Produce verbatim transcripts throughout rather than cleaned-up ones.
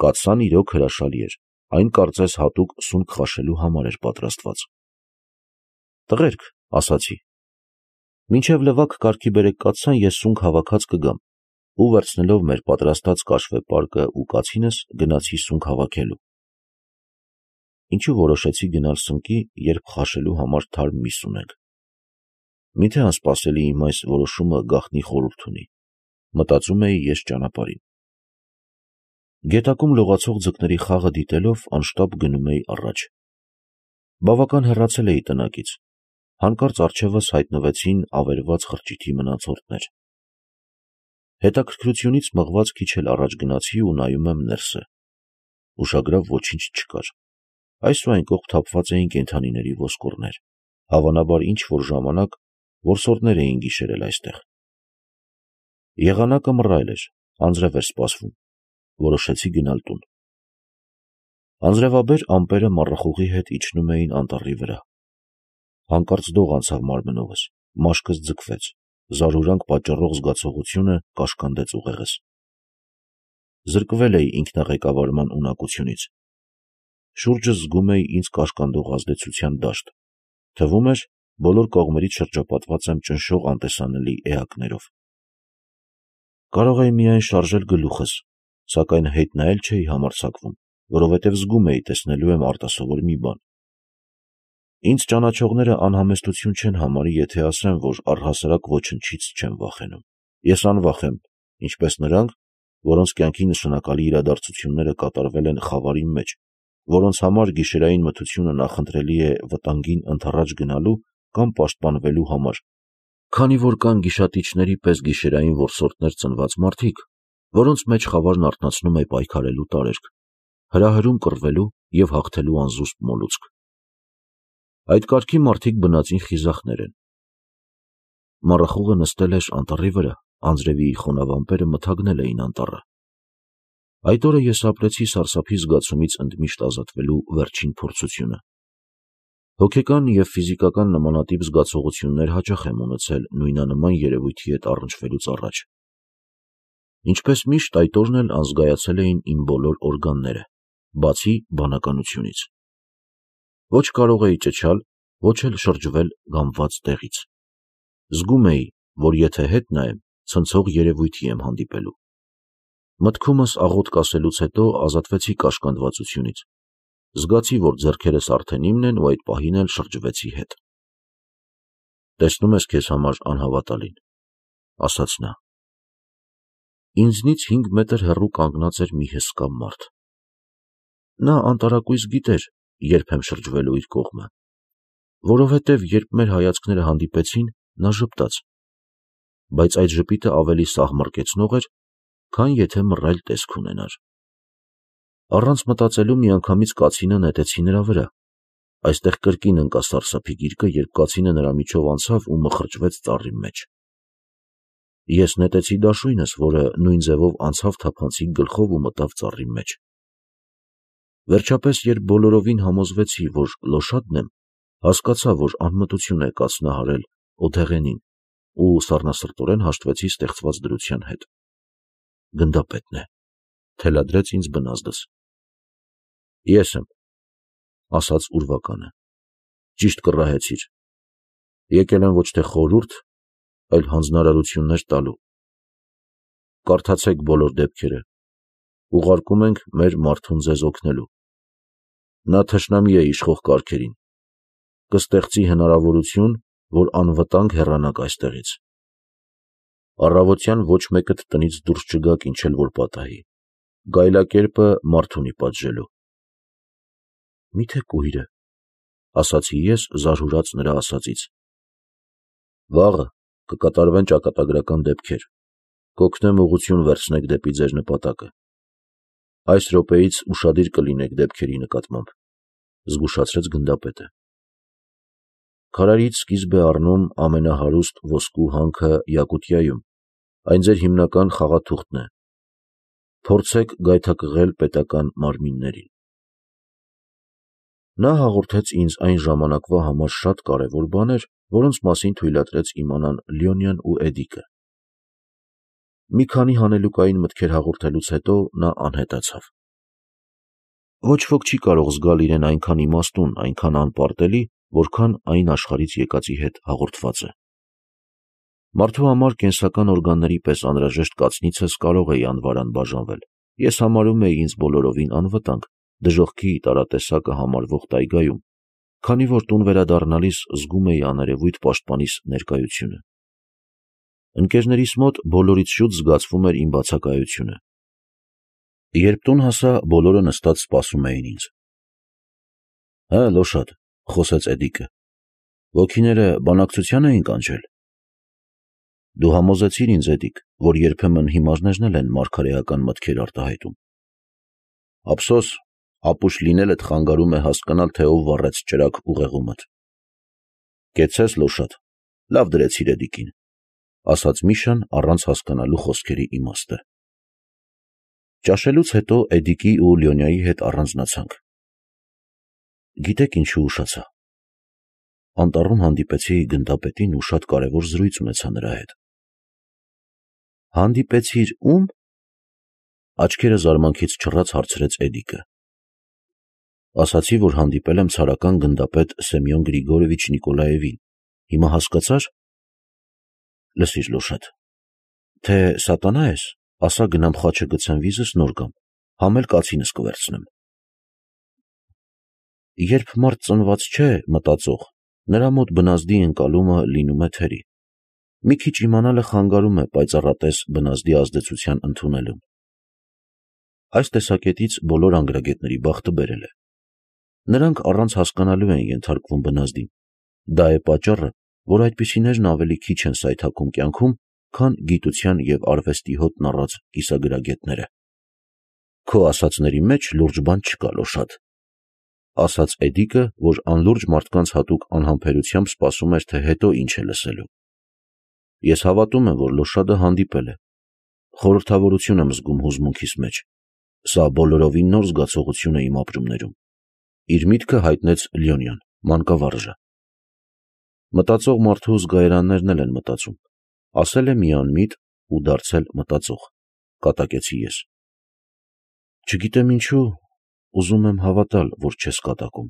կաթսան իրոք հրաշալի էր, այն կարծես հատուկ սունկ խաշելու համար էր պատրաստված։ Տղերք, ասացի, մինչև լվակ կարգի բերեք կաթսան, ես սունկ հավաքած կգամ, ու վերցնելով մեր պատրաստած կաշվե պարկը ու կացինս, գնացի սունկ հավաքելու։ Ինչու որոշեցի գնալ սնկի, երբ խաշելու համար թարմ միս ունենք։ Միթե անսպասելի իմ այս որոշումը գաղտնի խորհուրդ ունի, մտածում էի ես ճանապարհին։ Գետակում լողացող ձկների խաղը դիտելով անշտապ գնում էի առաջ։ Բավական հեռացել էի տնակից, հանկարծ առջևս հայտնվեցին ավերված խրճիթի մնացորդներ։ Հետաքրքրությունից մղված քիչ էլ առաջ գնացի ու նայում եմ ներսը։ Ուշագրավ ոչինչ չկար։ Այս ու այն կողմ թափված էին կենդանիների ոսկորներ, հավանաբար ինչ-որ ժամանակ որսորդներ էին գիշերել այստեղ։ Եղանակը մռայլ էր, անձրև էր սպասվում, որոշեցի գնալ տուն։ Անձրևաբեր ամպերը մառախուղի հետ իջնում էին անտառի վրա։ Հանկարծ դող անցավ մարմնովս, մաշկս ձգվեց, զարհուրանք պատճառող զգացողությունը կաշկանդեց ուղեղս։ Զրկվել էի ինքնաղեկավարման ունակությունից։ Շուրջս զգում էի ինձ կաշկանդող ազդեցության դաշտ, թվում էր բոլոր կողմերից շրջապատված եմ ճնշող անտեսանելի էակներով։ Կարող էի միայն շարժել գլուխս, սակայն հետ նայել չէի համարձակվում, որովհետև զգում էի տեսնելու եմ արտասովոր մի բան։ Ինձ ճանաչողները անհամեստություն չեն համարի, եթե ասեմ, որ առհասարակ ոչնչից չեմ վախենում։ Ես անվախ եմ, ինչպես նրանք, որոնց կյանքի նշանակալի իրադարձությունները կատարվել են խավարի մեջ, որոնց համար գիշերային մթությունը նախընտրելի է վտանգին ընդառաջ գնալու կամ պաշտպանվելու համար, քանի որ կան գիշատիչների պես գիշերային որսորդներ ծնված մարդիկ, որոնց մեջ խավարն արթնացնում է պայքարելու տարերք, հրահրում կռվելու և հաղթելու անզուսպ մոլուցք։ Այդ կարգի մարդիկ բնածին խիզախներ են։ Մառախուղը նստել էր անտառի վրա, անձրևի խոնավ ամպերը մթագնել էին անտառը։ Այդ օրը ես ապրեցի սարսափի զգացումից ընդմիշտ ազատվելու վերջին փորձությունը։ Հոգեկան և ֆիզիկական նմանատիպ զգացողություններ հաճախ եմ ունեցել նույնանման երևույթի հետ առնչվելուց առաջ։ Ինչպես միշտ այդ օրն էլ անզգայացել էին իմ բոլոր օրգանները, բացի բանականությունից։ Ոչ կարող էի ճչալ, ոչ էլ շրջվել գամված տեղից։ Զգում էի, որ եթե հետ նայեմ, ցնցող երևույթի եմ հանդիպելու։ Մտքումս աղոթք ասելուց հետո ազատվեցի կաշկանդվածությունից։ Զգացի, որ ձեռքերս արդեն իմն են ու այդ պահին էլ շրջվեցի հետ։ Տեսնում ես քեզ համար անհավատալին, ասաց նա։ Ինձնից հինգ մետր հեռու կանգնած էր մի հսկա մարդ։ Նա անտարակույս գիտեր, երբ եմ շրջվելու իր կողմը, որովհետև երբ մեր հայացքները հանդիպեցին, նա ժպտաց, բայց այդ ժպիտը ավելի սահմռկեցնող էր, քան եթե մռայլ տեսք ունենար։ Առանց մտածելու միանգամից կացինը նետեցի նրա վրա։ Այստեղ կրկին ընկա սարսափի գիրկը, երբ կացինը նրա միջով անցավ ու մխրճվեց ծառի մեջ։ Ես նետեցի դաշույնս, որը նույն ձևով անցավ թափանցիկ գլխով ու մտավ ծառի մեջ։ Վերջապես, երբ բոլորովին համոզվեցի, որ լոշադն եմ, հասկացա, որ անմտություն է կացնահարել օդեղենին ու սառնասրտորեն հաշտվեցի ստեղծված դրության հետ։ Գնդապետն է, թելադրեց ինձ բնազդս։ Ես եմ, ասաց ուրվականը, ճիշտ կռահեցիր, եկել եմ ոչ թե խորհուրդ, այլ հանձնարարություններ տալու։ Կարդացեք բոլոր դեպքերը, ուղարկում ենք մեր մարդուն ձեզ օգնելու։ Նա թշնամի է իշխող կարգերին, կստեղծի հնարավորություն, որ անվտանգ հեռանաք այստեղից։ Առավոտյան ոչ մեկդ տնից դուրս չգաք, ինչ էլ որ պատահի, գայլակերպը մարդ ունի պատժելու։ Միթե կույրը, ասացի ես, զարհուրած նրա ասածից։ Վաղը կկատարվեն ճակատագրական դեպքեր, կօգնեմ ուղղություն վերցնեք դեպի ձեր նպատակը։ Այս րոպեից ուշադիր կլինեք դեպքերի նկատմամբ, զգուշացրեց գնդապետը։ Քարայրից սկիզբ է առնում ամենահարուստ ոսկու հանքը Յակուտիայում, այն ձեր հիմնական խաղաթուղթն է։ Փորձեք գայթակղել պետական մարմիններին։ Նա հաղորդեց ինձ այն ժամանակվա համար շատ կարևոր բաներ, որոնց մասին թույլատրեց իմանան Լյոնյան ու Էդիկը։ Մի քանի հանելուկային մտքեր հաղորդելուց հետո նա անհետացավ։ Ոչ ոք չի կարող զգալ իրեն այնքան իմաստուն, այնքան անպարտելի, որքան այն աշխարհից եկածի հետ հաղորդված է։ Մարդու համար կենսական օրգանների պես անհրաժեշտ կացնիցս կարող էի անվարան բաժանվել։ Ես համարում էի ինձ բոլորովին անվտանգ, դժոխքի տարատեսակը համարվող տայգայում, քանի որ տուն վերադառնալիս զգում էի աներևույթ պաշտպանիս ներկայությունը։ Ընկերներիս մոտ բոլորից շուտ զգացվում էր իմ բացակայությունը։ Երբ տուն հասա, բոլորը նստած սպասում էին ինձ։ «Հը, Լոշադ», խոսեց Էդիկը, «ոգիները բանակցության էին կանչել»։ Դու համոզեցիր ինձ, Էդիկ, որ երբեմն հիմարներն էլ են մարգարեական մտքեր արտահայտում։ Ափսոս, ապուշ լինելդ խանգարում է հասկանալ, թե ով վառեց ճրագ ուղեղումդ։ Կեցցես, Լոշադ, լավ դրեցիր Էդիկին, ասաց Միշան առանց հասկանալու խոսքերի իմաստը։ Ճաշելուց հետո Էդիկի ու Լյոնյայի հետ առանձնացանք։ Գիտեք ինչու ուշացա։ Անտառում հանդիպեցի գնդապետին ու շատ կարևոր զրույց ունեցա նրա հետ։ Հանդիպեցիր ում։ Աչքերը զարմանքից չռած հարցրեց Էդիկը։ Ասացի, որ հանդիպել եմ ցարական գնդապետ Սեմյոն Գրիգորովիչ Նիկոլաևին։ Հիմա հասկացա՞ր։ Լսիր, Լոշադ, թե սատանա ես, ասա գնամ խաչը գցեմ վիզս, նոր գամ, համ էլ կացինս կվերցնեմ։ Երբ մարդ ծնված չէ մտածող, նրա մոտ բնազդի ընկալումը լինում է թերի։ Մի քիչ իմանալը խանգարում է պայծառատես բնազդի ազդեցության ընդունելուն։ Այս տեսակետից բոլոր անգրագետների բախտը բերել է։ Նրանք առանց հասկանալու են ենթարկվում բնազդին։ Դա է պատճառը, որ այդպիսիներն ավելի քիչ են սայթաքում կյանքում, քան գիտության և արվեստի հոտն առած կիսագրագետները։ Քո ասածների մեջ լուրջ բան չկա, Լոշադ, ասաց Էդիկը, որ անլուրջ մարդկանց հատուկ անհամբերությամբ սպասում էր, թե հետո ինչ է լսելու։ Ես հավատում եմ, որ Լոշադը հանդիպել է։ Խորհրդավորություն եմ զգում հուզմունքիս մեջ։ Սա բոլորովին նոր զգացողություն է իմ ապրումներում։ Իր միտքը հայտնեց Լյոնյան, մանկավարժը։ Մտածող մարդու զգայարաններն էլ են մտածում։ Ասել է մի անմիտ ու դարձել մտածող, կատակեցի ես։ Չգիտեմ ինչու, ուզում եմ հավատալ, որ չես կատակում։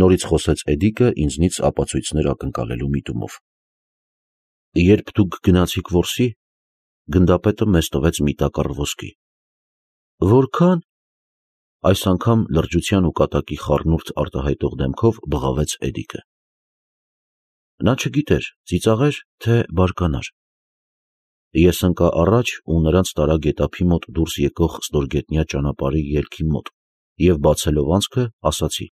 Նորից խոսեց Էդիկը ինձնից ապացույցներ ակնկալելու միտումով։ Երբ դուք գնացիք որսի, գնդապետը մեզ տվեց մի տակառ ոսկի։ Որքան։ Այս անգամ լրջության ու կատակի խառնուրդ արտահայտող դեմքով բղավեց Էդիկը։ Նա չգիտեր, ծիծաղեր, թե բարկանար։ Ես ընկա առաջ ու նրանց տարա գետափի մոտ դուրս եկող ստորգետնյա ճանապարհի ելքի մոտ և բացելով անցքը, ասացի.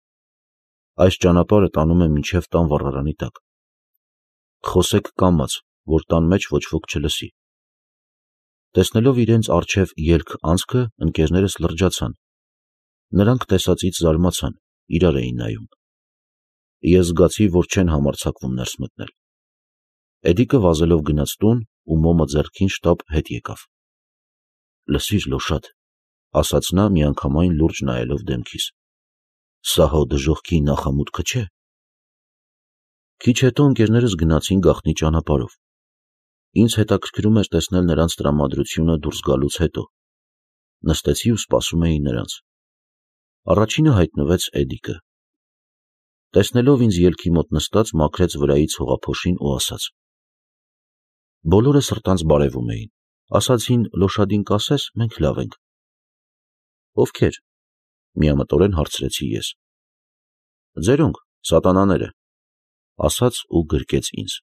այս ճանապարհը տանում է մինչև տան վառարանի տակ։ Խոսեք կամաց, որ տան մեջ ոչ ոք չլսի։ Տեսնելով իրենց առջև ելք անցքը, ընկերներս լրջացան։ Նրանք տեսածից զարմացան, իրար էին նայում։ Ես զգացի, որ չեն համարձակվում ներս մտնել։ Էդիկը վազելով գնաց տուն ու մոմը ձեռքին շտապ հետ եկավ։ Լսիր, Լոշադ, ասաց նա միանգամայն լուրջ նայելով դեմքիս, սա հո դժոխքի նախամուտքը չէ։ Քիչ հետո ընկերներս գնացին գաղտնի ճանապարհով։ Ինձ հետաքրքրում էր տեսնել նրանց տրամադրությունը դուրս գալուց հետո։ Նստեցի ու սպասում էի նրանց։ Առաջինը հայտնվեց Էդիկը։ Տեսնելով ինձ ելքի մոտ նստած, մաքրեց վրայից հողափոշին ու ասաց. Բոլորը սրտանց բարևում էին, ասացին Լոշադին կասես, մենք լավ ենք։ Ովքեր։ Միամտորեն հարցրեցի ես։ Ձերոնք, սատանաները, ասաց ու գրկեց ինձ։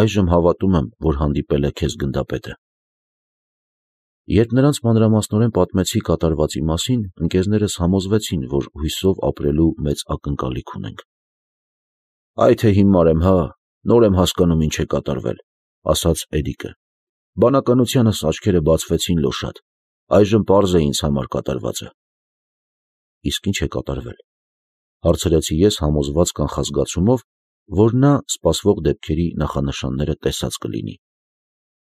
Այժմ հավատում եմ, որ հանդիպել է քեզ գնդապետը։ Երբ նրանց մանրամասնորեն պատմեցի կատարվածի մասին, ընկերներս համոզվեցին, որ հույսով ապրելու մեծ ակնկալիք ունենք։ Այ թե հիմար եմ, հա, նոր եմ հասկանում ինչ է կատարվել, ասաց Էդիկը։ Բանականությանս աչքերը բացվեցին, Լոշադ, այժմ պարզ է ինձ համար կատարվածը։ Իսկ ինչ է կատարվել, հարցրեցի ես համոզված կանխազգացումով, որ նա սպասվող դեպքերի նախանշանները տեսած կլինի։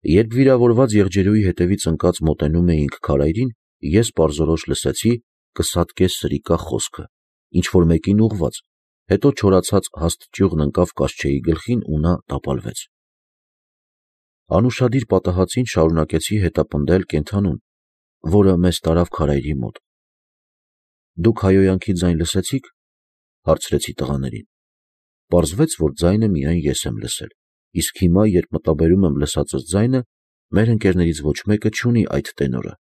Երբ վիրավորված եղջերուի հետևից ընկած մոտենում էինք քարայրին, ես պարզորոշ լսեցի կսատկե սրիկա խոսքը, ինչ-որ մեկին ուղղված, հետո չորացած հաստ ճյուղն ընկավ Կասչեի գլխին ու նա տապալվեց։ Անուշադիր պատահածին շարունակեցի հետապնդել կենդանուն, որը մեզ տարավ քարայրի մոտ։ Դուք հայոյանքի ձայն լսեցի՞ք, հարցրեցի տղաներին։ Պարզվեց, որ ձայնը միայն ես եմ լսել, իսկ հիմա, երբ մտաբերում եմ լսածս ձայնը, մեր ընկերներից ոչ մեկը չունի այդ տենորը։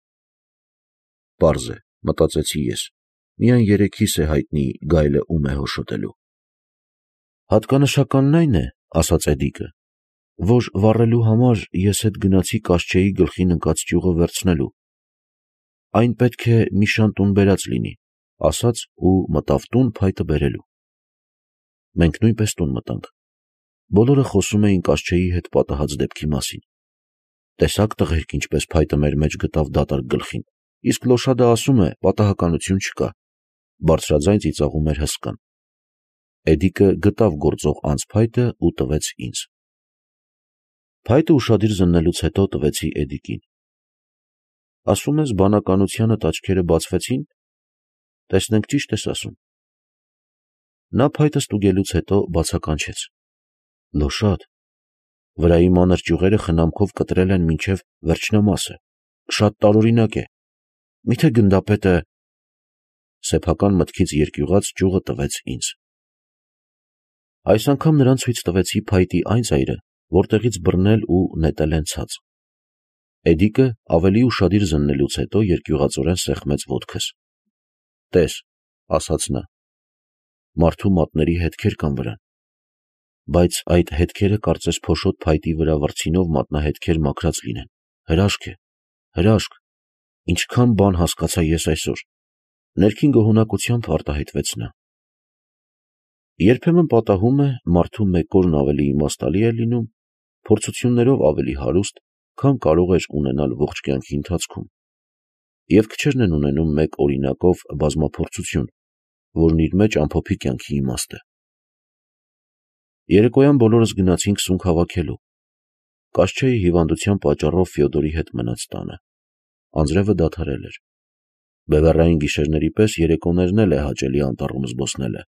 Պարզ է, մտածեցի ես, միայն երեքիս է հայտնի գայլը ում է հոշոտելու։ Հատկանշականն այն է, ասաց Էդիկը, որ վառելու համար ես հետ գնացի Կաշչեի գլխին ընկած ճյուղը վերցնելու։ Այն պետք է Միշան տուն բերած լինի, ասաց ու մտավ տուն փայտը բերելու։ Մենք նույնպես տուն մտանք։ Բոլորը խոսում էին Կաշչեի հետ պատահած դեպքի մասին։ Տեսա՞ք տղերք, ինչպես փայտը մեր մեջ գտավ դատարկ գլխին, իսկ Լոշադը ասում է, պատահականություն չկա, բարձրաձայն ծիծաղում էր հսկան։ Էդիկը գտավ գործող անձ փայտը ու տվեց ինձ։ Փայտը ուշադիր զննելուց հետո տվեցի Էդիկին։ Ասում ես, բանականությանդ աչքերը բացվեցին, տեսնենք ճիշտ ես ասում։ Նա փայտը ստուգելուց հետո բացականչեց. Լոշադ, վրայի մանր ճյուղերը խնամքով կտրել են մինչև վերջնամասը, շատ տարօրինակ է, միթե գնդապետը… Սեփական մտքից երկյուղած ճյուղը տվեց ինձ։ Այս անգամ նրան ցույց տվեցի փայտի այն ծայրը, որտեղից բռնել ու նետել են ցած։ Էդիկը ավելի ուշադիր զննելուց հետո երկյուղածորեն սեղմեց ոտքս։ Տես, ասաց նա, մարդու մատների հետքեր կան վրան, բայց այդ հետքերը կարծես փոշոտ փայտի վրա վրձինով մատնահետքեր մաքրած լինեն, հրաշք է, հրաշք, ինչքան բան հասկացա ես այսօր, ներքին գոհունակությամբ արտահայտվեց նա։ Երբեմն պատահում է, մարդու մեկ օրն ավելի իմաստալի է լինում, փորձություններով ավելի հարուստ, քան կարող էր ունենալ ողջ կյանքի ընթացքում, և քչերն են ունենում մեկ օրինակով բազմափորձություն, որն իր մեջ ամփոփի կյանքի իմաստ է։ Երեկոյան բոլորս գնացինք սունկ հավաքելու։ Կաշչեի հիվանդության պատճառով Ֆյոդորի հետ մնաց տանը։ Անձրևը դադարել էր։ Բևեռային գիշերների պես երեկոներն էլ է հաճելի անտառում զբոսնելը։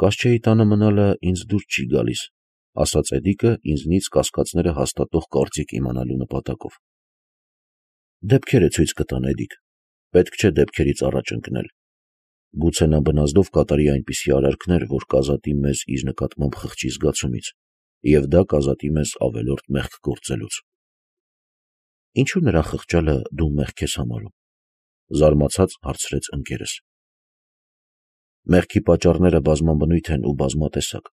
Կաշչեի տանը մնալը ինձ դուր չի գալիս, ասաց Էդիկը ինձնից կասկածները հաստատող կարծիք իմանալու նպատակով։ Դեպքերը ցույց կտան, Էդիկ, պետք չէ դեպքերից առաջ ընկնել։ Գուցե նա բնազդով կատարի այնպիսի արարքներ, որ կազատի մեզ իր նկատմամբ խղճի զգացումից, և դա կազատի մեզ ավելորդ մեղք գործելուց։ Ինչու նրա խղճալը դու մեղք ես համարում, զարմացած հարցրեց ընկերս։ Մեղքի պատճառները բազմաբնույթ են ու բազմատեսակ,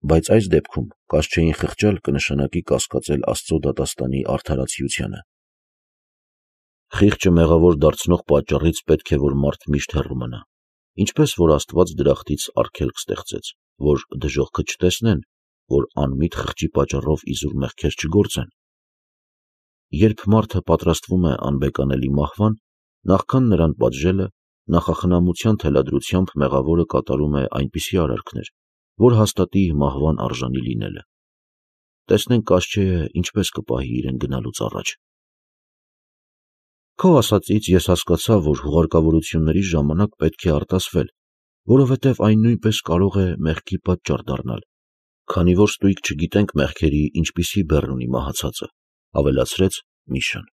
բայց այս դեպքում Կաշչեին խղճալ կնշանակի կասկածել Աստծո դատաստանի արդարացիությանը։ Խիղճը մեղավոր դարձնող պատճառից պետք է, որ մարդ միշտ հեռու մնա, ինչպես որ Աստված դրախտից արգելք ստեղծեց, որ դժոխքը չտեսնեն, որ անմիտ խղճի պատճառով իզուր մեղքեր չգործեն։ Երբ մարդը պատրաստվում է անբեկանելի մահվան, նախքան նրան պատժելը, նախախնամության թելադրությամբ մեղավորը կատարում է այնպիսի արարքներ, որ հաստատի մահվան արժանի լինելը։ Տեսնենք Կաշչեը ինչպես կպահի իրեն գնալուց առաջ։ Քո ասածից ես հասկացա, որ հուղարկավորությունների ժամանակ պետք է արտասվել, որովհետև այն նույնպես կարող է մեղքի պատճառ դառնալ, քանի որ ստույգ չգիտենք մեղքերի ինչպիսի բեռ ունի մահացածը, ավելացրեց Միշան։